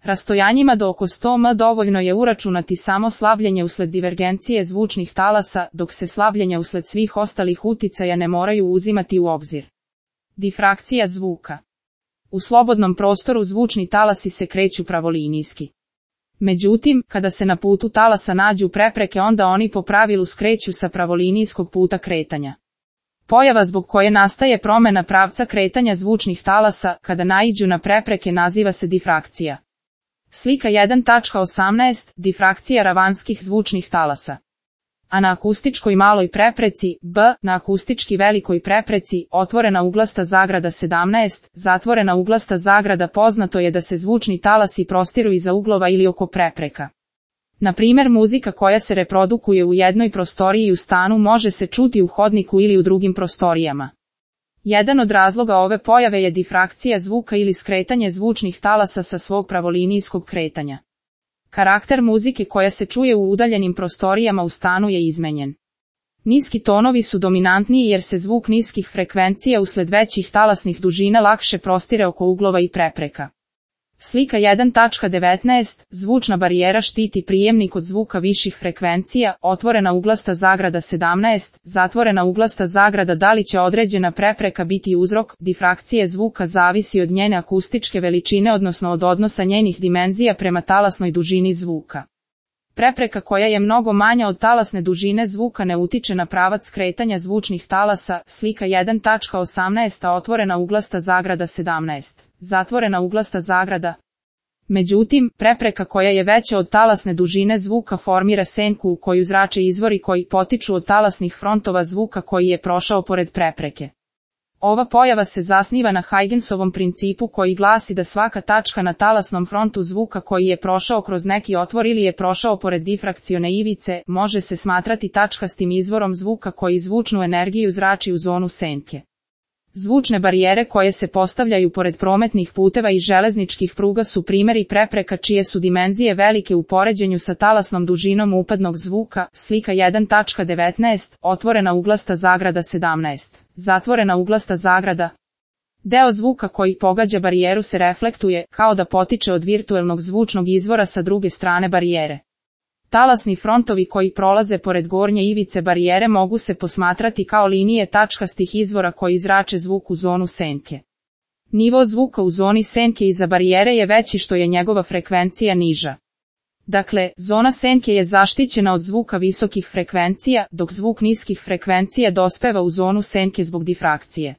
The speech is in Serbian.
Rastojanjima do oko 100 m dovoljno je uračunati samo slabljenje usled divergencije zvučnih talasa, dok se slabljenja usled svih ostalih uticaja ne moraju uzimati u obzir. Difrakcija zvuka. U slobodnom prostoru zvučni talasi se kreću pravolinijski. Međutim, kada se na putu talasa nađu prepreke, onda oni po pravilu skreću sa pravolinijskog puta kretanja. Pojava zbog koje nastaje promjena pravca kretanja zvučnih talasa kada naiđu na prepreke naziva se difrakcija. Slika 1.18. Difrakcija ravanskih zvučnih talasa. A na akustičkoj maloj prepreci, B, na akustički velikoj prepreci, otvorena uglasta zagrada 17, zatvorena uglasta zagrada, poznato je da se zvučni talasi prostiru iza uglova ili oko prepreka. Na primjer, muzika koja se reprodukuje u jednoj prostoriji u stanu može se čuti u hodniku ili u drugim prostorijama. Jedan od razloga ove pojave je difrakcija zvuka ili skretanje zvučnih talasa sa svog pravolinijskog kretanja. Karakter muzike koja se čuje u udaljenim prostorijama u stanu je izmenjen. Niski tonovi su dominantniji jer se zvuk niskih frekvencija usled većih talasnih dužina lakše prostire oko uglova i prepreka. Slika 1.19. Zvučna barijera štiti prijemnik od zvuka viših frekvencija, otvorena uglasta zagrada 17, zatvorena uglasta zagrada. Da li će određena prepreka biti uzrok difrakcije zvuka zavisi od njene akustičke veličine, odnosno od odnosa njenih dimenzija prema talasnoj dužini zvuka. Prepreka koja je mnogo manja od talasne dužine zvuka ne utiče na pravac kretanja zvučnih talasa. Slika 1.18. Otvorena uglasta zagrada 17, zatvorena uglasta zagrada. Međutim, prepreka koja je veća od talasne dužine zvuka formira senku u koju zrače izvori koji potiču od talasnih frontova zvuka koji je prošao pored prepreke. Ova pojava se zasniva na Huygensovom principu koji glasi da svaka tačka na talasnom frontu zvuka koji je prošao kroz neki otvor ili je prošao pored difrakcione ivice, može se smatrati tačkastim izvorom zvuka koji zvučnu energiju zrači u zonu senke. Zvučne barijere koje se postavljaju pored prometnih puteva i železničkih pruga su primjeri prepreka čije su dimenzije velike u poređenju sa talasnom dužinom upadnog zvuka. Slika 1.19. Otvorena uglasta zagrada 17, zatvorena uglasta zagrada. Deo zvuka koji pogađa barijeru se reflektuje, kao da potiče od virtuelnog zvučnog izvora sa druge strane barijere. Talasni frontovi koji prolaze pored gornje ivice barijere mogu se posmatrati kao linije tačkastih izvora koji zrače zvuk u zonu senke. Nivo zvuka u zoni senke iza barijere je veći što je njegova frekvencija niža. Dakle, zona senke je zaštićena od zvuka visokih frekvencija, dok zvuk niskih frekvencija dospeva u zonu senke zbog difrakcije.